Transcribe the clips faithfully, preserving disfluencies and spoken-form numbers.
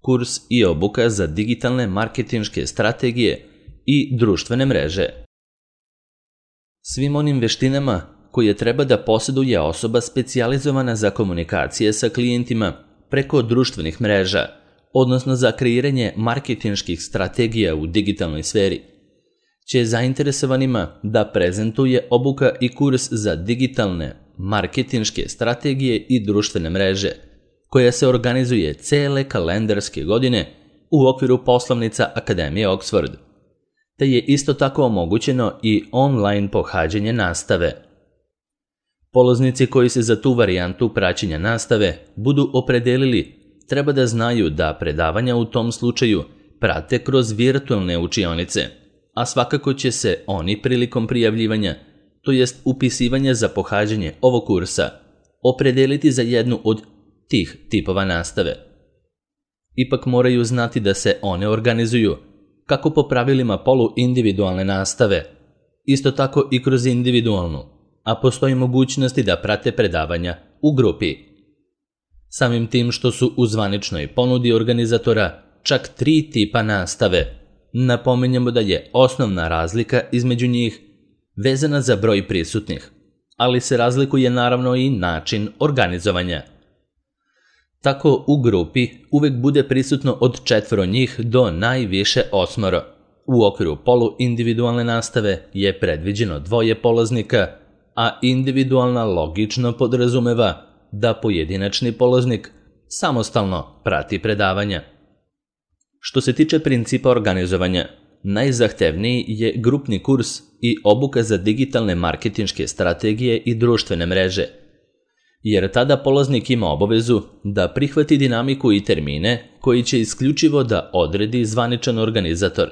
kurs i obuka za digitalne marketinške strategije i društvene mreže. Svim onim veštinama koje treba da posjeduje osoba specijalizovana za komunikacije sa klijentima preko društvenih mreža, odnosno za kreiranje marketinških strategija u digitalnoj sferi, će zainteresovanima da prezentuje obuka i kurs za digitalne marketinške strategije i društvene mreže, koja se organizuje cele kalendarske godine u okviru poslovnica Akademije Oxford, te je isto tako omogućeno i online pohađanje nastave. Polaznici koji se za tu varijantu praćenja nastave budu opredelili treba da znaju da predavanja u tom slučaju prate kroz virtualne učionice, a svakako će se oni prilikom prijavljivanja, to jest upisivanja za pohađanje ovog kursa, opredeliti za jednu od tih tipova nastave. Ipak moraju znati da se one organizuju kako po pravilima poluindividualne nastave, isto tako i kroz individualnu, a postoji mogućnosti da prate predavanja u grupi. Samim tim što su u zvaničnoj ponudi organizatora čak tri tipa nastave, napominjemo da je osnovna razlika između njih vezana za broj prisutnih, ali se razlikuje naravno i način organizovanja. Tako u grupi uvek bude prisutno od četvoro njih do najviše osmoro. U okviru poluindividualne nastave je predviđeno dvoje polaznika, a individualna logično podrazumeva da pojedinačni polaznik samostalno prati predavanja. Što se tiče principa organizovanja, najzahtevniji je grupni kurs i obuka za digitalne marketinške strategije i društvene mreže, jer tada polaznik ima obavezu da prihvati dinamiku i termine koji će isključivo da odredi zvaničan organizator.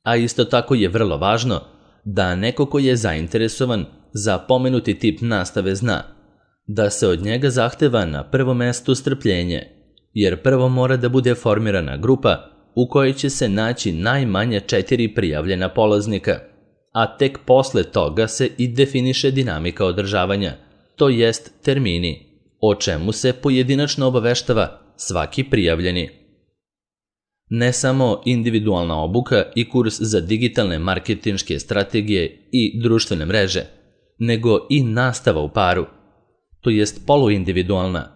A isto tako je vrlo važno da neko ko je zainteresovan za pomenuti tip nastave zna da se od njega zahteva na prvom mestu strpljenje, jer prvo mora da bude formirana grupa u kojoj će se naći najmanje četiri prijavljena polaznika, a tek posle toga se i definiše dinamika održavanja, to jest termini, o čemu se pojedinačno obaveštava svaki prijavljeni. Ne samo individualna obuka i kurs za digitalne marketinške strategije i društvene mreže, nego i nastava u paru, to jest poluindividualna,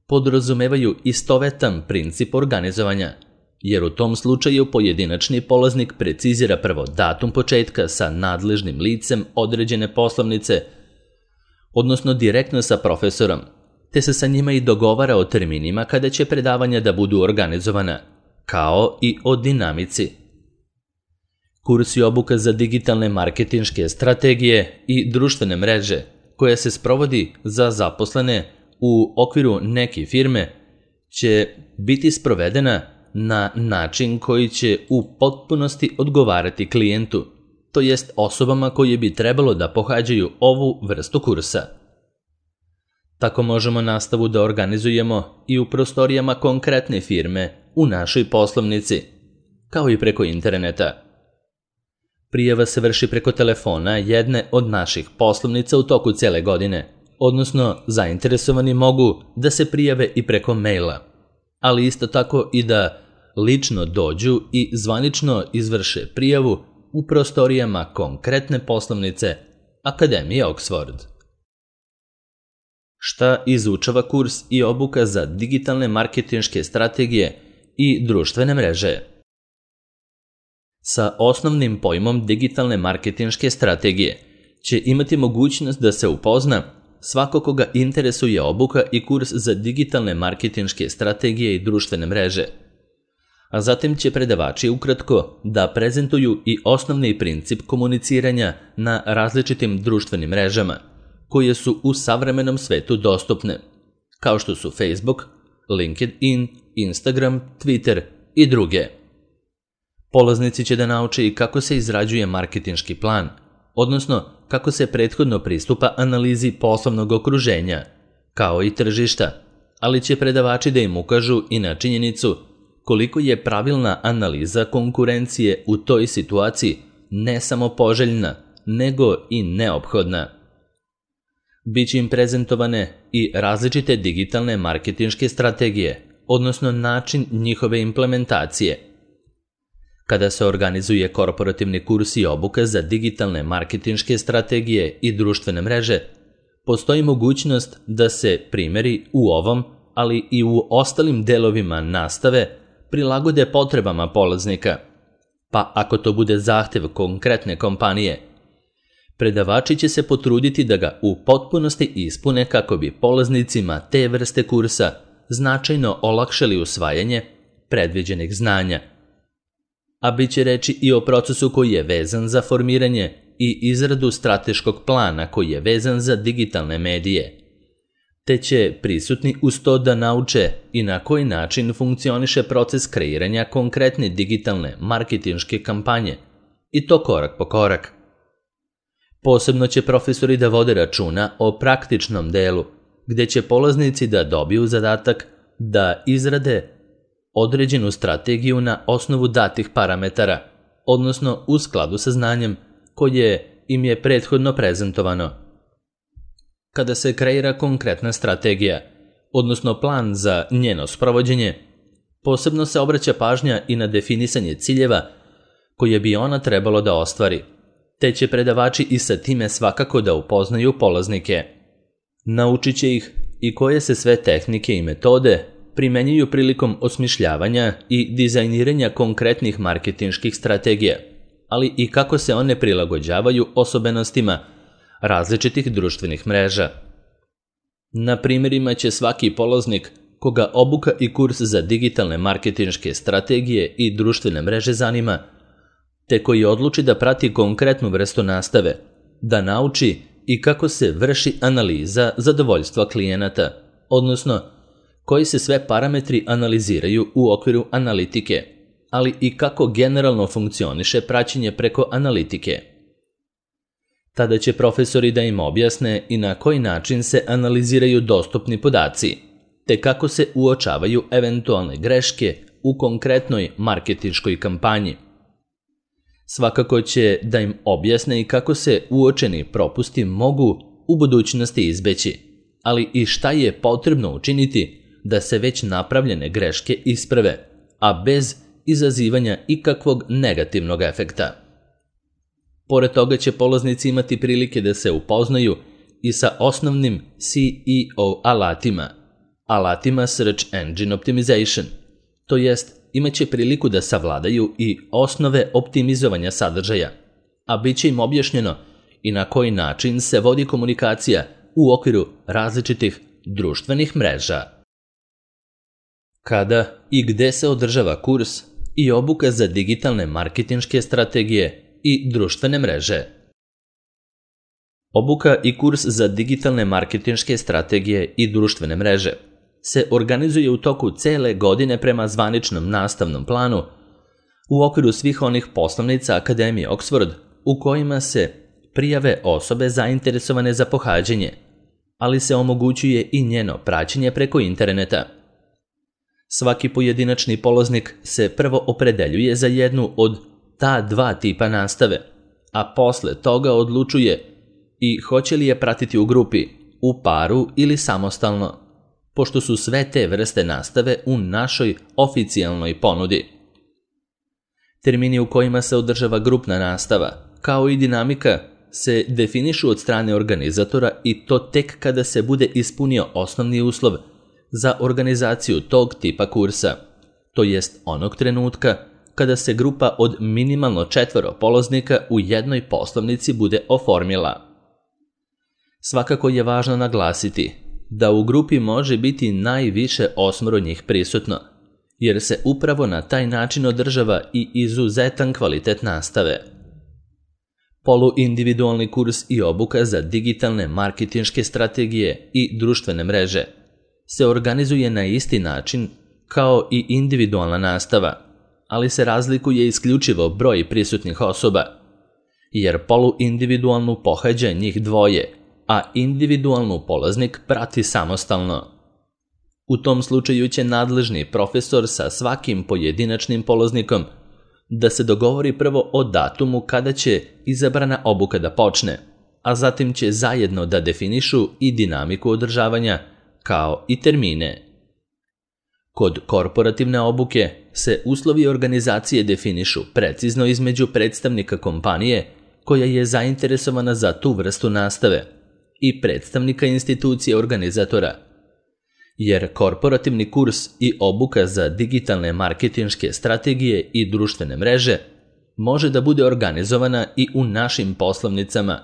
podrazumevaju istovetan princip organizovanja, jer u tom slučaju pojedinačni polaznik precizira prvo datum početka sa nadležnim licem određene poslovnice, odnosno direktno sa profesorom, te se sa njima i dogovara o terminima kada će predavanja da budu organizovana, kao i o dinamici. Kurs i obuka za digitalne marketinške strategije i društvene mreže, koja se sprovodi za zaposlene u okviru neke firme, će biti sprovedena na način koji će u potpunosti odgovarati klijentu, to jest osobama koje bi trebalo da pohađaju ovu vrstu kursa. Tako možemo nastavu da organizujemo i u prostorijama konkretne firme u našoj poslovnici, kao i preko interneta. Prijava se vrši preko telefona jedne od naših poslovnica u toku cele godine, odnosno zainteresovani mogu da se prijave i preko maila, ali isto tako i da lično dođu i zvanično izvrše prijavu u prostorijama konkretne poslovnice Akademije Oxford. Šta izučava kurs i obuka za digitalne marketinške strategije i društvene mreže? Sa osnovnim pojmom digitalne marketinške strategije će imati mogućnost da se upozna svako koga interesuje obuka i kurs za digitalne marketinške strategije i društvene mreže. A zatim će predavači ukratko da prezentuju i osnovni princip komuniciranja na različitim društvenim mrežama, koje su u savremenom svetu dostupne, kao što su Facebook, LinkedIn, Instagram, Twitter i druge. Polaznici će da nauče i kako se izrađuje marketinški plan, odnosno kako se prethodno pristupa analizi poslovnog okruženja, kao i tržišta, ali će predavači da im ukažu i na činjenicu koliko je pravilna analiza konkurencije u toj situaciji ne samo poželjna, nego i neophodna. Biće im prezentovane i različite digitalne marketinške strategije, odnosno način njihove implementacije. Kada se organizuje korporativni kurs i obuka za digitalne marketinške strategije i društvene mreže, postoji mogućnost da se primjeri u ovom, ali i u ostalim delovima nastave prilagode potrebama polaznika, pa ako to bude zahtev konkretne kompanije, predavači će se potruditi da ga u potpunosti ispune kako bi polaznicima te vrste kursa značajno olakšali usvajanje predviđenih znanja. A bit će reći i o procesu koji je vezan za formiranje i izradu strateškog plana koji je vezan za digitalne medije, te će prisutni uz to da nauče i na koji način funkcioniše proces kreiranja konkretne digitalne marketinške kampanje, i to korak po korak. Posebno će profesori da vode računa o praktičnom delu, gde će polaznici da dobiju zadatak da izrade određenu strategiju na osnovu datih parametara, odnosno u skladu sa znanjem koje im je prethodno prezentovano. Kada se kreira konkretna strategija, odnosno plan za njeno sprovođenje, posebno se obraća pažnja i na definisanje ciljeva koje bi ona trebalo da ostvari, te će predavači i sa time svakako da upoznaju polaznike. Naučit će ih i koje se sve tehnike i metode primenjuju prilikom osmišljavanja i dizajniranja konkretnih marketinških strategija, ali i kako se one prilagođavaju osobenostima različitih društvenih mreža. Na primjerima će svaki polaznik koga obuka i kurs za digitalne marketinške strategije i društvene mreže zanima, te koji odluči da prati konkretnu vrstu nastave, da nauči i kako se vrši analiza zadovoljstva klijenata, odnosno koji se sve parametri analiziraju u okviru analitike, ali i kako generalno funkcioniše praćenje preko analitike. Tada će profesori da im objasne i na koji način se analiziraju dostupni podaci, te kako se uočavaju eventualne greške u konkretnoj marketinškoj kampanji. Svakako će da im objasne i kako se uočeni propusti mogu u budućnosti izbeći, ali i šta je potrebno učiniti da se već napravljene greške isprave, a bez izazivanja ikakvog negativnog efekta. Pored toga će polaznici imati prilike da se upoznaju i sa osnovnim C E O alatima, alatima Search Engine Optimization, to jest imaće priliku da savladaju i osnove optimizovanja sadržaja, a bit će im objašnjeno i na koji način se vodi komunikacija u okviru različitih društvenih mreža. Kada i gde se održava kurs i obuka za digitalne marketinške strategije i društvene mreže? Obuka i kurs za digitalne marketinške strategije i društvene mreže se organizuje u toku cele godine prema zvaničnom nastavnom planu u okviru svih onih poslovnica Akademije Oxford u kojima se prijave osobe zainteresovane za pohađanje, ali se omogućuje i njeno praćenje preko interneta. Svaki pojedinačni polaznik se prvo opredeljuje za jednu od ta dva tipa nastave, a posle toga odlučuje i hoće li je pratiti u grupi, u paru ili samostalno, pošto su sve te vrste nastave u našoj oficijalnoj ponudi. Termini u kojima se održava grupna nastava, kao i dinamika, se definišu od strane organizatora i to tek kada se bude ispunio osnovni uslov za organizaciju tog tipa kursa, to jest onog trenutka kada se grupa od minimalno četvoro polaznika u jednoj poslovnici bude oformila. Svakako je važno naglasiti da u grupi može biti najviše osmoro njih prisutno, jer se upravo na taj način održava i izuzetan kvalitet nastave. Poluindividualni kurs i obuka za digitalne marketinške strategije i društvene mreže se organizuje na isti način kao i individualna nastava, ali se razlikuje isključivo broj prisutnih osoba, jer poluindividualnu pohađa njih dvoje, a individualnu polaznik prati samostalno. U tom slučaju će nadležni profesor sa svakim pojedinačnim polaznikom da se dogovori prvo o datumu kada će izabrana obuka da počne, a zatim će zajedno da definišu i dinamiku održavanja, kao i termine. Kod korporativne obuke se uslovi organizacije definišu precizno između predstavnika kompanije koja je zainteresovana za tu vrstu nastave i predstavnika institucije organizatora. Jer korporativni kurs i obuka za digitalne marketinške strategije i društvene mreže može da bude organizovana i u našim poslovnicama,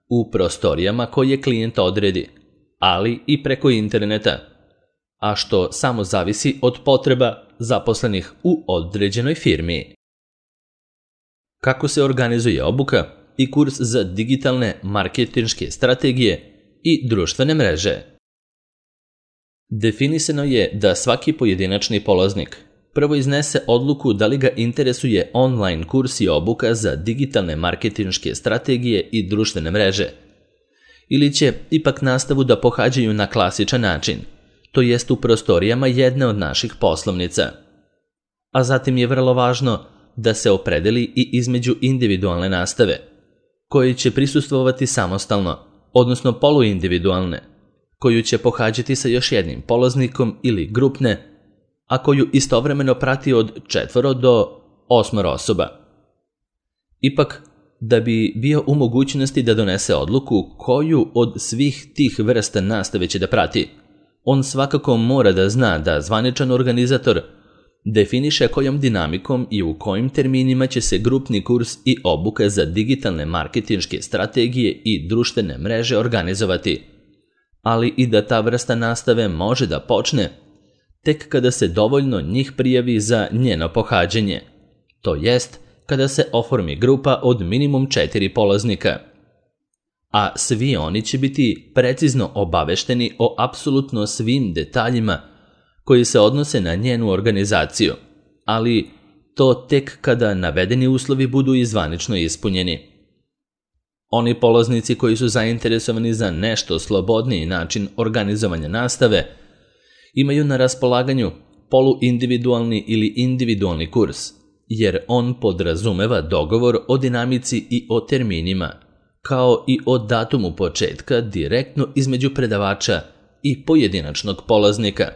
u prostorijama koje klijent odredi, ali i preko interneta, a što samo zavisi od potreba zaposlenih u određenoj firmi. Kako se organizuje obuka i kurs za digitalne marketinške strategije i društvene mreže? Definisano je da svaki pojedinačni polaznik prvo iznese odluku da li ga interesuje online kurs i obuka za digitalne marketinške strategije i društvene mreže, ili će ipak nastavu da pohađaju na klasičan način, to jest u prostorijama jedne od naših poslovnica. A zatim je vrlo važno da se opredeli i između individualne nastave, koji će prisustvovati samostalno, odnosno poluindividualne, koju će pohađati sa još jednim polaznikom ili grupne, a koju istovremeno prati od četvoro do osmoro osoba. Ipak, da bi bio u mogućnosti da donese odluku koju od svih tih vrsta nastave će da prati, on svakako mora da zna da zvaničan organizator definiše kojom dinamikom i u kojim terminima će se grupni kurs i obuka za digitalne marketinške strategije i društvene mreže organizovati, ali i da ta vrsta nastave može da počne tek kada se dovoljno njih prijavi za njeno pohađanje, to jest kada se oformi grupa od minimum četiri polaznika. A svi oni će biti precizno obavešteni o apsolutno svim detaljima koji se odnose na njenu organizaciju, ali to tek kada navedeni uslovi budu i zvanično ispunjeni. Oni polaznici koji su zainteresovani za nešto slobodniji način organizovanja nastave imaju na raspolaganju poluindividualni ili individualni kurs, jer on podrazumeva dogovor o dinamici i o terminima, kao i o datumu početka direktno između predavača i pojedinačnog polaznika.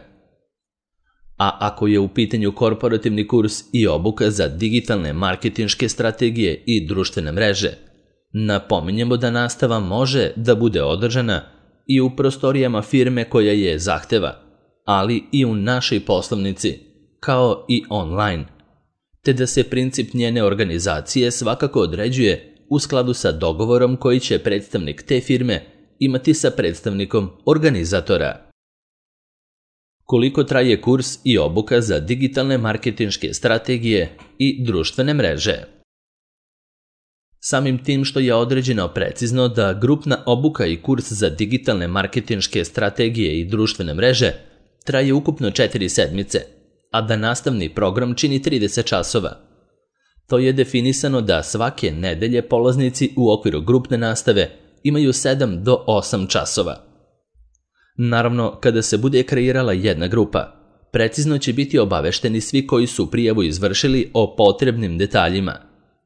A ako je u pitanju korporativni kurs i obuka za digitalne marketinške strategije i društvene mreže, napominjemo da nastava može da bude održana i u prostorijama firme koja je zahteva, ali i u našoj poslovnici, kao i online, te da se princip njene organizacije svakako određuje u skladu sa dogovorom koji će predstavnik te firme imati sa predstavnikom organizatora. Koliko traje kurs i obuka za digitalne marketinške strategije i društvene mreže? Samim tim što je određeno precizno da grupna obuka i kurs za digitalne marketinške strategije i društvene mreže traje ukupno četiri sedmice, a da nastavni program čini trideset časova. To je definisano da svake nedelje polaznici u okviru grupne nastave imaju sedam do osam časova. Naravno, kada se bude kreirala jedna grupa, precizno će biti obavešteni svi koji su prijavu izvršili o potrebnim detaljima,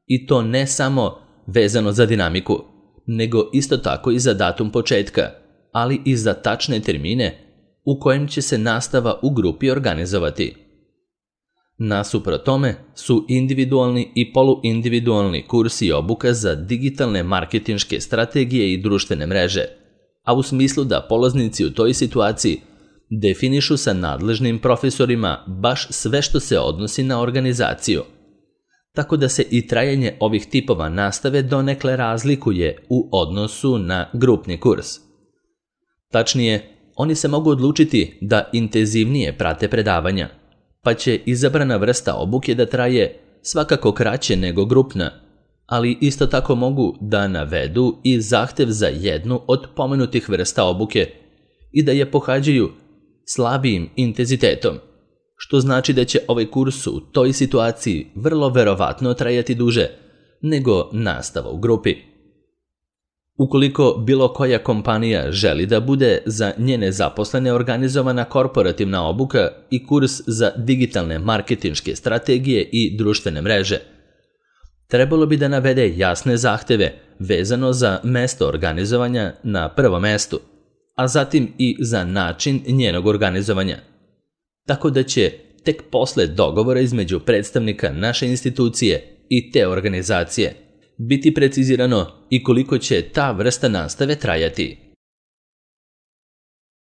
i to ne samo vezano za dinamiku, nego isto tako i za datum početka, ali i za tačne termine u kojem će se nastava u grupi organizovati. Nasuprot tome su individualni i poluindividualni kursi i obuka za digitalne marketinške strategije i društvene mreže, a u smislu da polaznici u toj situaciji definišu sa nadležnim profesorima baš sve što se odnosi na organizaciju, tako da se i trajanje ovih tipova nastave donekle razlikuje u odnosu na grupni kurs. Tačnije, oni se mogu odlučiti da intenzivnije prate predavanja, pa će izabrana vrsta obuke da traje svakako kraće nego grupna, ali isto tako mogu da navedu i zahtev za jednu od pomenutih vrsta obuke i da je pohađaju slabijim intenzitetom, što znači da će ovaj kurs u toj situaciji vrlo verovatno trajati duže nego nastava u grupi. Ukoliko bilo koja kompanija želi da bude za njene zaposlene organizovana korporativna obuka i kurs za digitalne marketinške strategije i društvene mreže, trebalo bi da navede jasne zahteve vezano za mesto organizovanja na prvom mestu, a zatim i za način njenog organizovanja. tako da će tek posle dogovora između predstavnika naše institucije i te organizacije biti precizirano i koliko će ta vrsta nastave trajati.